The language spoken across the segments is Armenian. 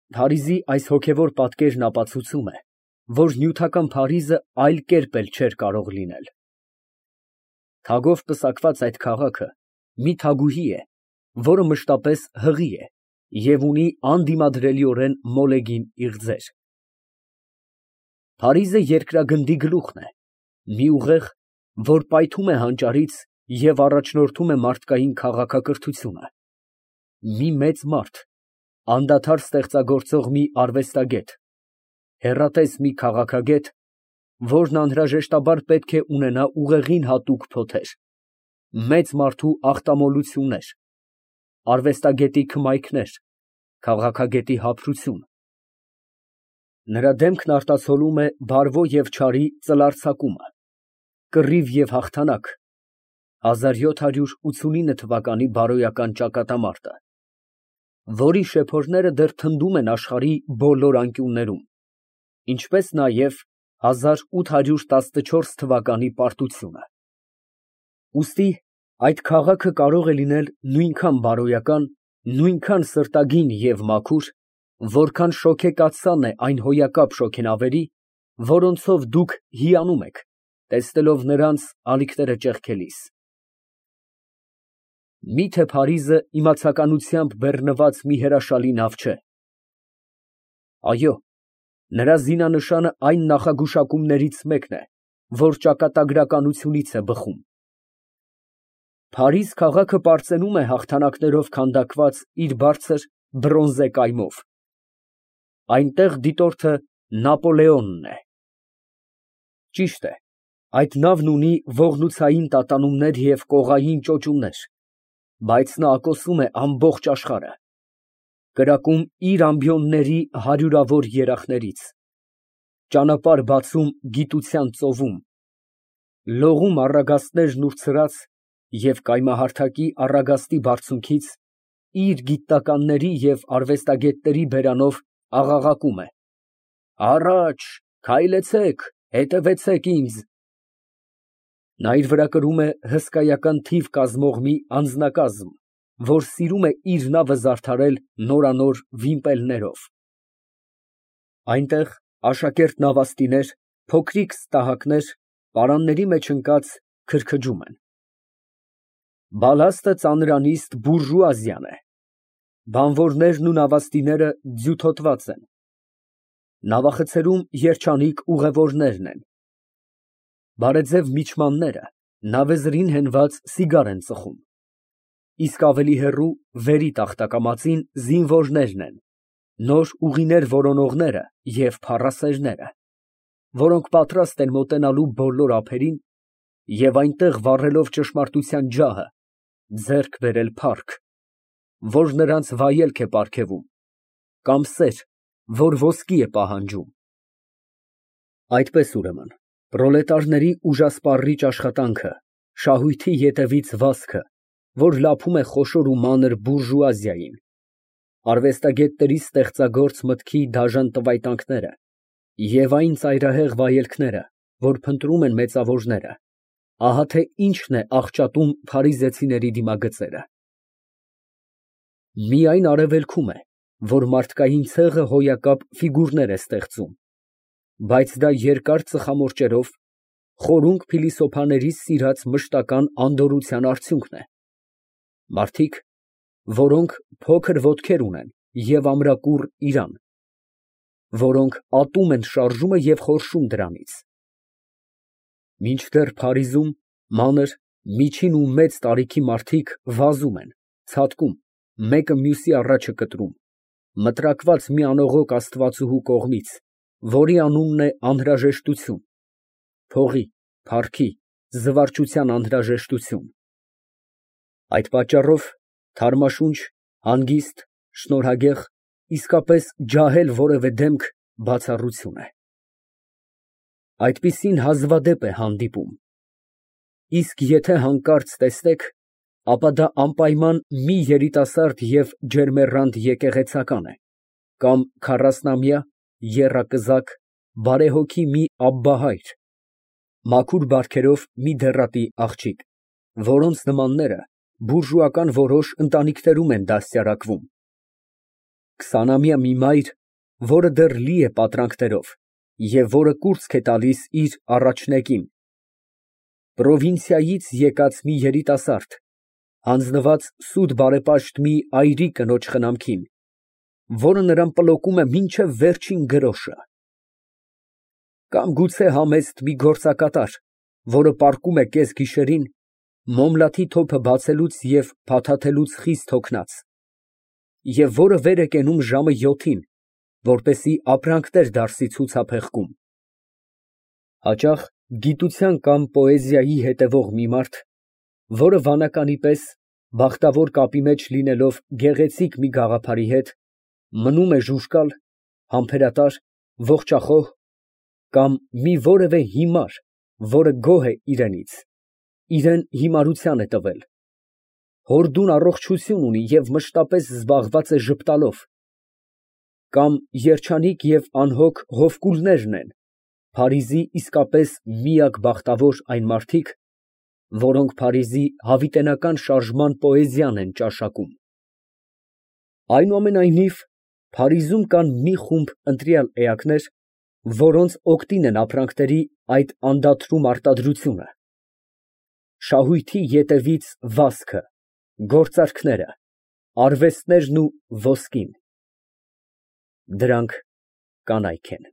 Փարիզի այս հոգևոր պատկերն ապացուցում է, որ նյութական Փարիզը այլ կերպ էլ չէր կարող լինել։ Թագով պսակված այդ քաղաքը մի թագուհի է, որը մշտապես հղի է և ունի անդիմադրելիորեն մոլեգին իղձեր։ Փարիզը երկրագնդի գլուխն է, մի ուղեղ, որ պայթում է հանճարից և առաջնորդում է մարդկային քաղաքակրթությունը, մի մեծ մարդ, անդադար ստեղծագործող մի արվեստագետ, հեռատես մի քաղաքագետ, որն անհրաժեշտաբար պետք է ունենա ուղեղին հատուկ փոթեր, մեծ մարդու ախտամոլություններ, արվեստագետի քմայքներ, քաղաքագետի հափրություն։ Նրա դեմքն արտացոլում է բարվո և չարի ծլարձակումը, կռիվ և հաղթանակ, 1789 թվականի բարոյական ճակատամարտը, որի շեփորները դեռ թնդում են աշխարհի բոլոր անկյուններում, ինչպես նաև 1814 թվականի պարտությունը։ Ուստի այդ քաղաքը կարող է լինել նույնքան բարոյական, նույնքան սրտագին և մաքուր, որքան շոգեկացան է այն հոյակապ շոգենավերի, որոնցով դուք հիանում եք, տեսնելով նրանց ալիքները ճեղքելիս։ Մի՞թե Փարիզը իմացականությամբ բեռնված մի հրաշալի նավ չէ։ Այո, նրա զինանշանը այն նախագուշակումներից մեկն է, որ ճակատագրականությունից է բխում։ Փարիզ քաղաքը պարծենում է հաղթանակներով քանդակված իր բարձր բրոնզե կայմով։ Այնտեղ դիտորդը Նապոլեոնն է։ Ճիշտ է, այդ նավն ունի ողնուցային տատանումներ և կողային ճոճուներ, բայց նա ակոսում է ամբողջ աշխարհը, կրակում իր ամբիոնների հարյուրավոր երախներից, ճանապարհ բացում գիտության ծովում, լողում առագաստներն ուր ցրած և կայմահարթակի առագաստի բարձունքից իր գիտնականների և արվեստագետների բերանով աղաղակում է. «Առաջ, քայլեցեք, հետևեցեք ինձ»։ Նա իր վրա կրում է հսկայական թիվ կազմող մի անձնակազմ, որ սիրում է իր նավը զարդարել նորանոր վիմպելներով։ Այնտեղ աշակերտ նավաստիներ, փոքրիկ ստահակներ, պարանների մեջ ընկած քրքջում են։ Բալաստը ծանրանիստ բուրժուազիան է, բանվորներն ու նավաստիները ձյութոտված են, նավախցերում երջանիկ ուղևորներն են, բարեձև միջմանները նավեզրին հենված սիգար են ծխում, իսկ ավելի հեռու, վերի տախտակամածին զինվորներն են, նոր ուղիներ որոնողները և փառասերները, որոնք պատրաստ են մոտենալու բոլոր ափերին և այնտեղ վառելով ճշմարտության ջահը, ձեռք բերել փառք, որ նրանց վայելք է պարգևում, կամ սեր, որ ոսկի է պահանջում։ Այդպես, ուրեմն, պրոլետարների ուժասպառիչ աշխատանքը, շահույթի ետևից վազքը, որ լափում է խոշոր ու մանր բուրժուազիային, արվեստագետների ստեղծագործ մտքի դաժան տվայտանքները և այն ծայրահեղ վայելքները, որ փնտրում են մեծավորները, ահա թե ինչն է աղճատում փարիզեցիների դիմագծերը։ Միայն արևելքում է, որ մարդկային ցեղը հոյակապ ֆիգուրներ է ստեղծում, բայց դա երկար ծխամորճերով, խորունգ փիլիսոփաների սիրած մշտական անդորրության արդյունքն է։ Մարդիկ, որոնք փոքր ոտքեր ունեն և ամրակուռ իրան, որոնք ատում են շարժումը և խորշում դրանից։ Մինչդեռ Փարիզում մանր, միջին ու մեծ տարիքի մարդիկ վազում են, ցատկում, մեկը մյուսի առաջը կտրում, մտրակված մի անողոք աստվածուհու կողմից, որի անունն է անհրաժեշտություն, փողի, փառքի, զվարճության անհրաժեշտություն։ Այդ պատճառով թարմաշունչ, հանգիստ, շնորհագեղ, իսկապես ջահել որևէ դեմք բացառություն է։ Այդպիսին հազվադեպ է հանդիպում։ Իսկ եթե հանկարծ տեսնեք, ապա դա անպայման մի երիտասարդ և ջերմեռանդ եկեղեցական է, կամ քառասնամյա, եռակզակ, բարեհոգի մի աբբահայր, մաքուր բարքերով մի դեռատի աղջիկ, որոնց նմանները բուրժուական որոշ ընտանիքներում են դաստիարակվում, քսանամյա մի մայր, որը դեռ լի է պատրանքներով և որը կուրծք է տալիս իր առաջնեկին, պրովինցիայից եկած մի երիտասարդ, հանձնված սուտ բարեպաշտ մի այրի կնոջ խնամքին, որը նրան պլոկում է մինչև վերջին գրոշը, կամ գուցե համեստ մի գործակատար, որը պառկում է կեսգիշերին, մոմլաթի թոփը բացելուց և փաթաթելուց խիստ հոգնած, և որը վեր է կենում ժամը 7-ին, որպեսզի ապրանքներ դարսի ցուցափեղկում, հաճախ գիտության կամ պոեզիայի հետևող մի մարդ, որը վանականի պես, բախտավոր կապի մեջ լինելով գեղեցիկ մի գաղափարի հետ, մնում է ժուժկալ, համբերատար, ողջախոհ, կամ մի որևէ հիմար, որը գոհ է իրենից, իրան հիմարության է տվել, հորդուն առողջություն ունի և մշտապես զբաղված է ժպտալով, կամ երջանիկ և անհոգ հովկուլներն են, Փարիզի իսկապես միակ բախտավոր այն մարդիկ, որոնք Փարիզի հավիտենական շարժման պոեզիան են ճաշակում։ Այնուամենայնիվ, Փարիզում կան մի խումբ ընտրյալ էակներ, որոնց օգտին են ապրանքների այդ անդադրում արտադրությունը, շահույթի ետևից վազքը, գործարքները, արվեստներն ու ոսկին, դրանք կանայք են,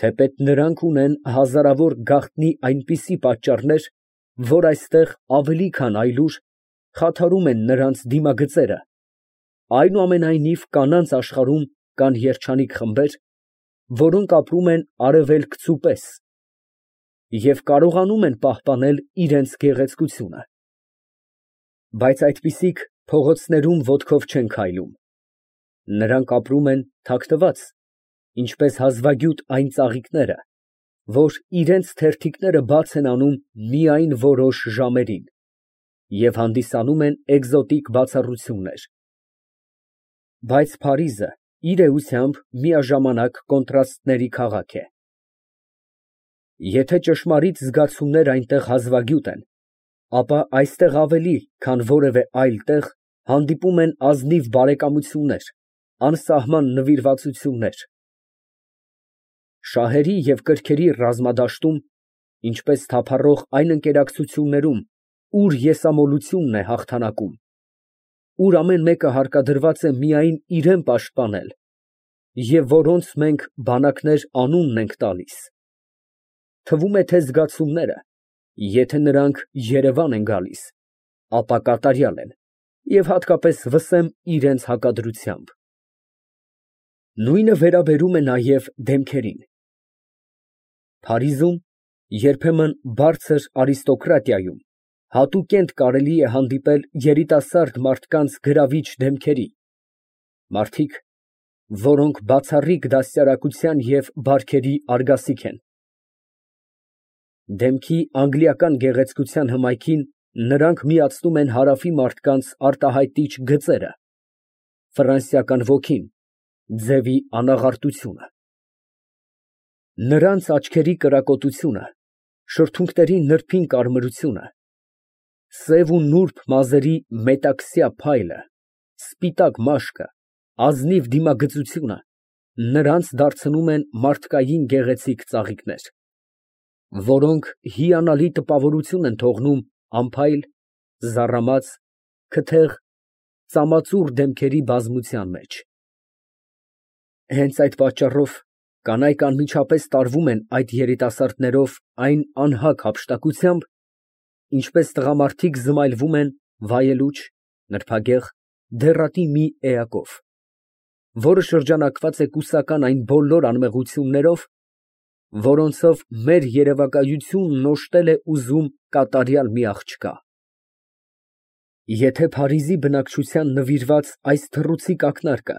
թեպետ նրանք ունեն հազարավոր գաղտնի այնպիսի պատճառներ, որ այստեղ ավելի քան այլուր խաթարում են նրանց դիմագծերը, այնուամենայնիվ կանանց աշխարհում կան երջանիկ խմբեր, որոնք ապրում են արևելքցու պես և կարողանում են պահպանել իրենց գեղեցկությունը, բայց այդպիսիք փողոցներում ոտքով չեն քայլում, նրանք ապրում են թաքնված, ինչպես հազվագյուտ այն ծաղիկները, որ իրենց թերթիկները բաց են անում միայն որոշ ժամերին և հանդիսանում են էկզոտիկ բացառություններ, բայց Փարիզը իր էությամբ միաժամանակ կոնտրաստների քաղաք է, եթե ճշմարիտ զգացումներ այնտեղ հազվագյուտ են, ապա այստեղ ավելի, քան որևէ այլ տեղ հանդիպում են ազնիվ բարեկամություններ, անսահման նվիրվածություններ, շահերի և կրքերի ռազմադաշտում, ինչպես թափառող այն ընկերակցություններում, ուր եսամոլությունն է հաղթանակում, ուր ամեն մեկը հարկադրված է միայն իրան պաշտպանել և որոնց մենք բանակներ անունն ենք տալիս, թվում է, թե զգացումները, եթե նրանք Երևան են գալիս, ապա կատարյալ են և հատկապես վսեմ իրենց հակադրությամբ։ Նույնը վերաբերում է նաև դեմքերին։ Փարիզում, երբեմն բարձր արիստոկրատիայում, հատուկենտ կարելի է հանդիպել երիտասարդ մարդկանց գրավիչ դեմքերի, մարդիկ, որոնք բացառիկ դաստիարակության և բարքերի արգասիք են։ Դեմքի անգլիական գեղեցկության հմայքին նրանք միացնում են հարավի մարդկանց արտահայտիչ գծերը, ֆրանսիական ոգին, ձևի անաղարտությունը։ Նրանց աչքերի կրակոտությունը, շրթունքների նրբին կարմրությունը, սև ու նուրբ մազերի մետաքսյա փայլը, սպիտակ մաշկը, ազնիվ դիմագծությունը նրանց դարձնում են մարդկային գեղեցիկ ծաղիկներ, որոնք հիանալի տպավորություն են թողնում անփայլ, զառամած, քթեղ, ծամածուռ դեմքերի բազմության մեջ։ Հենց այդ պատճառով կանայք անմիջապես տարվում են այդ երիտասարդներով այն անհագ հափշտակությամբ, ինչպես տղամարդիկ զմայլվում են վայելուչ, նրբագեղ, դեռատի մի էակով, որը շրջանակված է կուսական այն բոլոր անմեղություններով, որոնցով մեր երևակայությունն օժտել է ուզում կատարյալ մի աղջկա։ Եթե Փարիզի բնակչության նվիրված այս թռուցիկ ակնարկը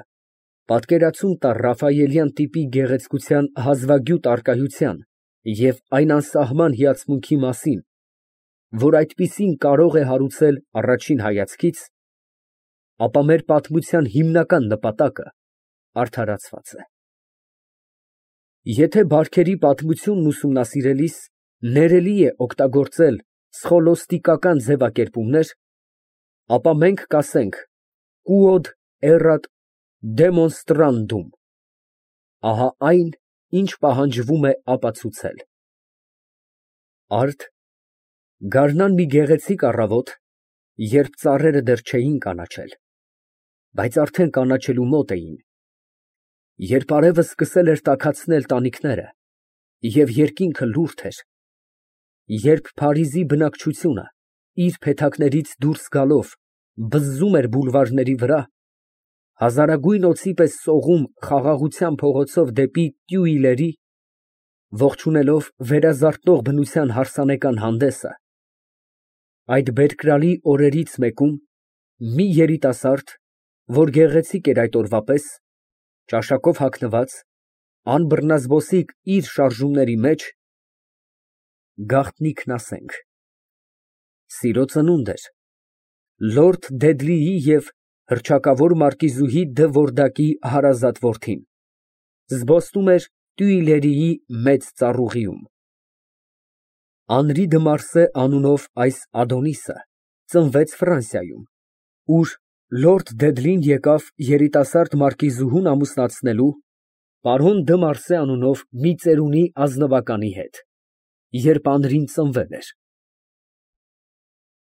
պատկերացում տար ռաֆայելյան տիպի գեղեցկության հազվագյուտ առկայության և այն անսահման հիացմունքի մասին, որ այդպիսին կարող է հարուցել առաջին հայացքից, ապա մեր պատմության հիմնական նպատակը արդարացված է։ Եթե բարքերի պատմությունն ուսումնասիրելիս ներելի է օգտագործել սխոլոստիկական ձևակերպումներ, ապա մենք կասենք quod erat demonstrandum, Ահա այն, ինչ պահանջվում է ապացուցել։ Արդ, գարնան մի գեղեցիկ առավոտ, երբ ծառերը դեռ չէին կանաչել, բայց արդեն կանաչելու մոտ էին, երբ արևը սկսել էր տաքացնել տանիքները և երկինքը լուրջ էր, երբ Փարիզի բնակչությունը իր փեթակներից դուրս գալով բզզում էր բուլվարների վրա, հազարագույն օձի պես սողում խաղաղության փողոցով դեպի Տյուիլերի, ողջունելով վերազարթնող բնության հարսանեկան հանդեսը, այդ բերկրալի օրերից մեկում մի երիտասարդ, որ գեղեցիկ էր այդ օրվա պես, ճաշակով հագնված, անբռնազբոսիկ իր շարժումների մեջ, գաղտնիքն ասենք, սիրո ծնունդ էր, լորդ Դեդլիի և հռչակավոր մարկիզուհի դը Վորդակի հարազատ որդին, զբոսնում էր Տյուիլերիի մեծ ծառուղիում։ Անրի դը Մարսե անունով այս Ադոնիսը ծնվեց Ֆրանսիայում, ուր լորդ Դեդլին եկավ երիտասարդ մարկիզուհուն ամուսնացնելու պարոն դը Մարսե անունով մի ծերունի ազնվականի հետ, երբ Անրին ծնվել էր։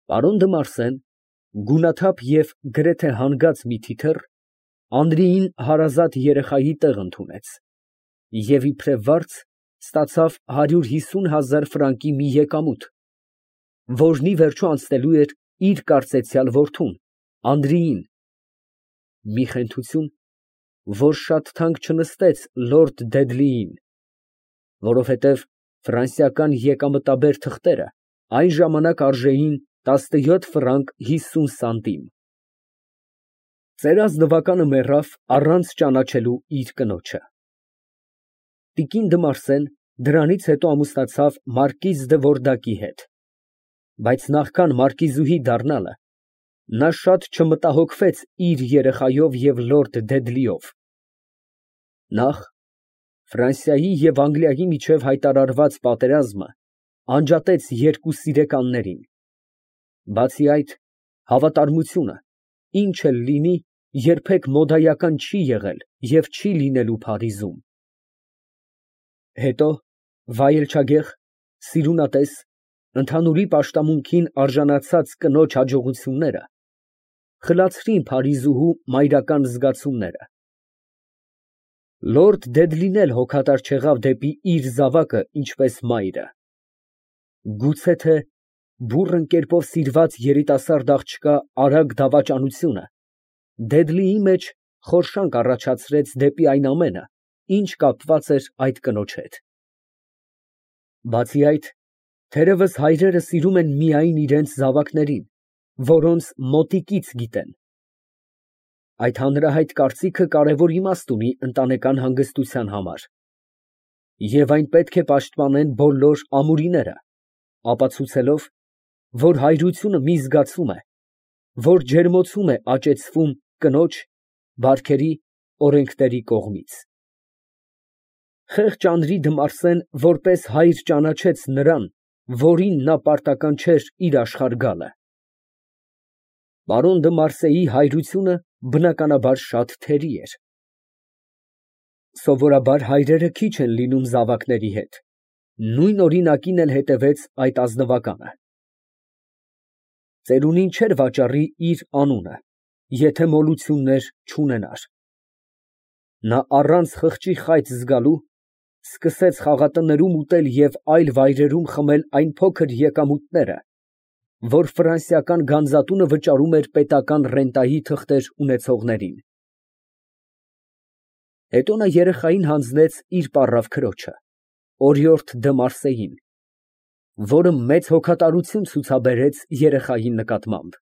Պարոն դը Մարսեն, գունաթափ և գրեթե հանգած մի թիթեռ, Անրիին հարազատ երեխայի տեղ ընդունեց և իբրև վարձ ստացավ 150,000 ֆրանկի մի եկամուտ, որն ի վերջո անցնելու էր իր կարծեցյալ որդուն Անրիին, մի խենթություն, որ շատ թանկ չնստեց լորդ Դեդլիին, որովհետև ֆրանսիական եկամտաբեր թղթերը այն ժամանակ արժեին 17 ֆրանկ 50 սանտիմ։ Ծեր ազնվականը մեռավ առանց ճանաչելու իր կնոջը։ Տիկին դը Մարսեն դրանից հետո ամուսնացավ մարկիզ դը Վորդակի հետ, բայց նախքան մարկիզուհի դառնալը, նա շատ չմտահոգվեց իր երեխայով և լորդ Դեդլիով։ Նախ, Ֆրանսիայի և Անգլիայի միջև հայտարարված պատերազմը անջատեց երկու սիրեկաններին, բացի այդ, հավատարմությունը, ինչ էլ լինի, երբեք մոդայական չի եղել և չի լինելու Փարիզում։ Հետո վայելչագեղ, սիրունատես, ընդհանուրի պաշտամունքին արժանացած կնոջ հաջողությունները խլացրին Փարիզուհու մայրական զգացումները։ Լորդ Դեդլին էլ հոգատար չեղավ դեպի իր զավակը ինչպես մայրը։ Գուցե թե բուռն կերպով սիրված երիտասարդ աղջկա արագ դավաճանությունը Դեդլիի մեջ խորշանք առաջացրեց դեպի այն ամենը, ինչ կապված էր այդ կնոջ հետ։ Բացի այդ, թերևս հայրերը սիրում են միայն իրենց զավակներին, որոնց մոտիկից գիտեն։ Այդ հանրահայտ կարծիքը կարևոր իմաստ ունի ընտանեկան հանգստության համար, և այն պետք է պաշտպանեն բոլոր ամուրիները, ապացուցելով, որ հայրությունը մի զգացում է, որ ջերմոցում է աճեցվում կնոջ, բարքերի, օրենքների կողմից։ Խեղճ Անրի դը Մարսեն որպես հայր ճանաչեց նրան, որին նա պարտական չէր իր աշխարհ գալը։ Պարոն դը Մարսեի հայրությունը բնականաբար շատ թերի էր։ Սովորաբար հայրերը քիչ են լինում զավակների հետ, նույն օրինակին էլ հետևեց այդ ազնվականը։ Ծերունին չէր վաճառի իր անունը, եթե մոլություններ չունենար։ Նա առանց խղճի խայծ զգալու, սկսեց խաղատներում ուտել և այլ վայրերում խմել այն փոքր եկամուտները, որ ֆրանսիական գանձատունը վճարում էր պետական ռենտայի թղթեր ունեցողներին։ Հետո նա երեխային հանձնեց իր պառավ քրոջը, օրիորդ դը Մարսեին, որը մեծ հոգատարություն ցուցաբերեց երեխայի նկատմամբ։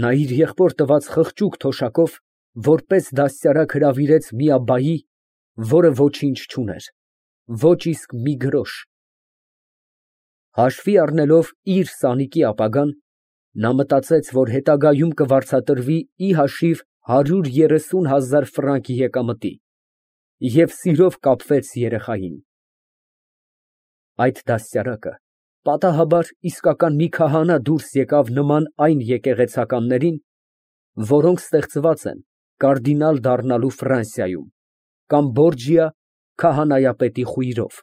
Նա իր եղբոր տված խղճուկ թոշակով որպես դաստիարակ հրավիրեց մի աբբայի, որը ոչինչ չուներ, ոչ իսկ մի գրոշ։ Հաշվի առնելով իր սանիկի ապագան, նա մտածեց, որ հետագայում կվարձատրվի ի հաշիվ 130,000 ֆրանկ եկամտի և սիրով կապվեց երեխային։ Այդ դաստիարակը պատահաբար իսկական մի քահանա դուրս եկավ նման այն եկեղեցականներին, որոնք ստեղծված են կարդինալ դառնալու Ֆրանսիայում, կամ Բորջիա քահանայապետի խույրով։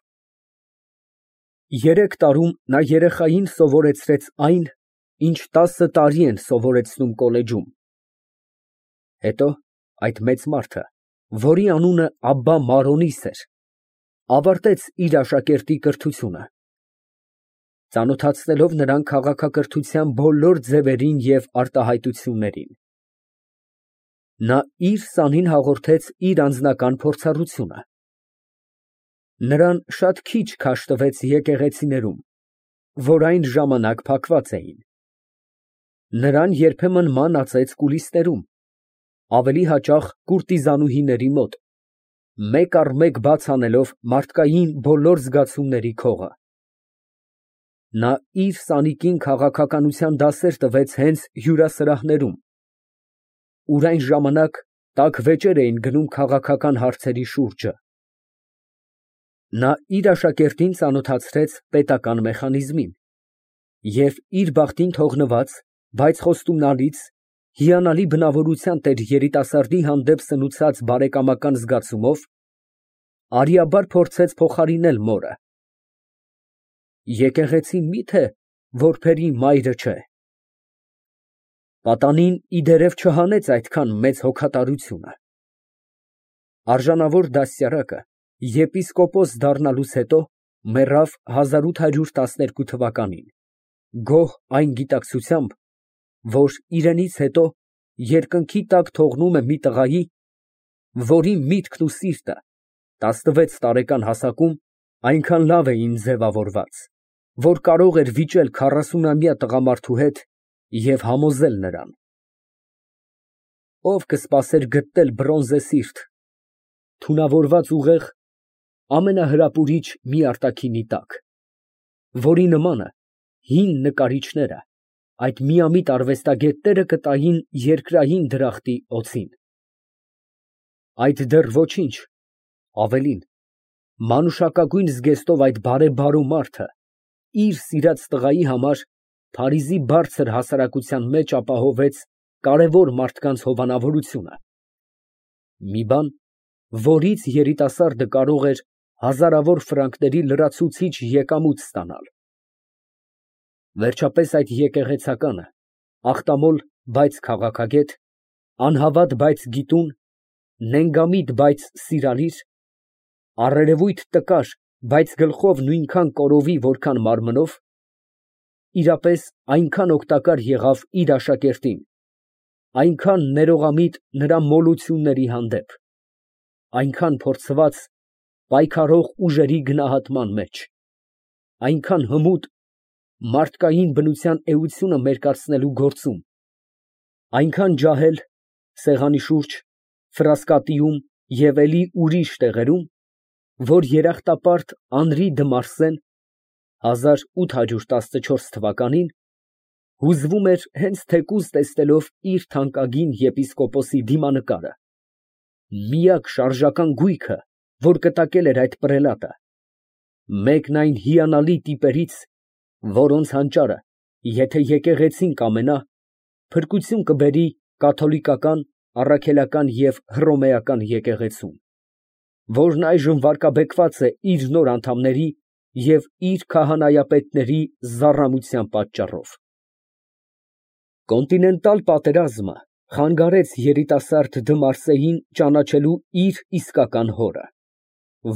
3 տարում նա երեխային սովորեցրեց այն, ինչ 10 տարի են սովորեցնում կոլեջում։ Հետո այդ մեծ մարդը, որի անունը Աբբա Մարոնիս էր, ավարտեց իր աշակերտի կրթությունը, ծանոթացնելով նրան քաղաքակրթության բոլոր ձևերին և արտահայտություններին։ Նա իր սանին հաղորդեց իր անձնական փորձառությունը։ Նրան շատ քիչ քաշ տվեց եկեղեցիներում, որ այն ժամանակ փակված էին։ Նրան երբեմն ման ածեց կուլիսներում, ավելի հաճախ կուրտիզանուհիների մոտ, մեկ առ մեկ բաց անելով մարդկային բոլոր զգացումների քողը։ Նա իր սանիկին քաղաքականության դասեր տվեց հենց հյուրասրահներում, ուր այն ժամանակ տաք վեճեր էին գնում քաղաքական հարցերի շուրջը։ Նա իր աշակերտին ծանոթացրեց պետական մեխանիզմին և իր բախտին թողնված, բայց խոստումնալից, հիանալի բնավորության տեր երիտասարդի հանդեպ սնուցած բարեկամական զգացումով արիաբար փորձեց փոխարինել մորը։ Եկեղեցին մի՞թե որբերի մայրը չէ։ Պատանին իդերև չհանեց այդքան մեծ հոգատարությունը։ Արժանավոր դաստիարակը եպիսկոպոս դառնալուց հետո մեռավ 1812 թվականին, գոհ այն գիտակցությամբ, որ իրենից հետո երկնքի տակ թողնում է մի տղայի, որի միտքն ու սիրտը 16 տարեկան հասակում այնքան լավ էին ձևավորված, որ կարող էր վիճել 40-ամյա տղամարդու հետ և համոզել նրան։ Ո՞վ կսպասեր գտնել բրոնզե սիրտ, թունավորված ուղեղ ամենահրապուրիչ մի արտաքինի տակ, որի նմանը հին նկարիչները, այդ միամիտ արվեստագետները կտային երկրային դրախտի օձին։ Այդ դեռ ոչինչ, ավելին, մանուշակագույն զգեստով այդ բարեբարո մարդը իր սիրած տղայի համար Փարիզի բարձր հասարակության մեջ ապահովեց կարևոր մարդկանց հովանավորությունը, մի բան, որից երիտասարդը կարող էր հազարավոր ֆրանկների լրացուցիչ եկամուտ ստանալ։ Վերջապես այդ եկեղեցականը, ախտամոլ, բայց քաղաքագետ, անհավատ, բայց գիտուն, նենգամիտ, բայց սիրալիր, առերևույթ տկար, բայց գլխով նույնքան կորովի, որքան մարմնով, իրապես այնքան օգտակար եղավ իր աշակերտին, այնքան ներողամիտ նրա մոլությունների հանդեպ, այնքան փորձված պայքարող ուժերի գնահատման մեջ, այնքան հմուտ մարդկային բնության էությունը մերկացնելու գործում, այնքան ջահել սեղանի շուրջ, ֆրասկատիում և էլի ուրիշ տեղերում, որ երախտապարտ Անրի դը Մարսեն 1814 թվականին հուզվում էր հենց թեկուզ տեսնելով իր թանկագին եպիսկոպոսի դիմանկարը, միակ շարժական գույքը, որ կտակել էր այդ պրելատը, մեկն այն հիանալի տիպերից, որոնց հանճարը, եթե եկեղեցին կամենա, փրկություն կբերի կաթոլիկական, առաքելական և հռոմեական եկեղեցուն, որն այժմ վարկաբեկված է իր նոր անդամների և իր քահանայապետների զառամության պատճառով։ Կոնտինենտալ պատերազմը խանգարեց երիտասարդ դը Մարսեին ճանաչելու իր իսկական հորը,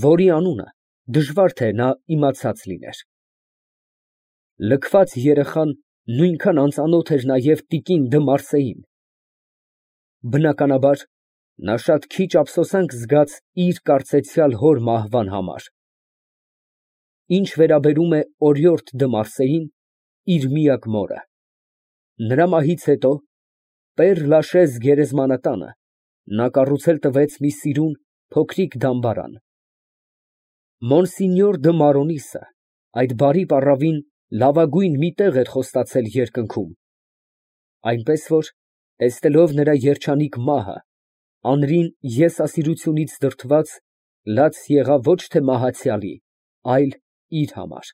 որի անունը դժվար թե նա իմացած լիներ։ Լքված երեխան նույնքան անծանոթ էր նաև տիկին դը Մարսեին։ Բնականաբար, նա շատ քիչ ափսոսանք զգաց իր կարծեցյալ հոր մահվան համար։ Ինչ վերաբերում է օրիորդ դը Մարսեին, իր միակ մորը, նրա մահից հետո Պեր Լաշեզ գերեզմանատանը նա կառուցել տվեց մի սիրուն, փոքրիկ դամբարան։ Մոնսինյոր դը Մարոնիսը այդ բարի պառավին լավագույն մի տեղ էր խոստացել երկնքում, այնպես որ, տեսնելով նրա երջանիկ մահը, Անրին եսասիրությունից դրդված, լաց եղավ ոչ թե մահացյալի, այլ իր համար։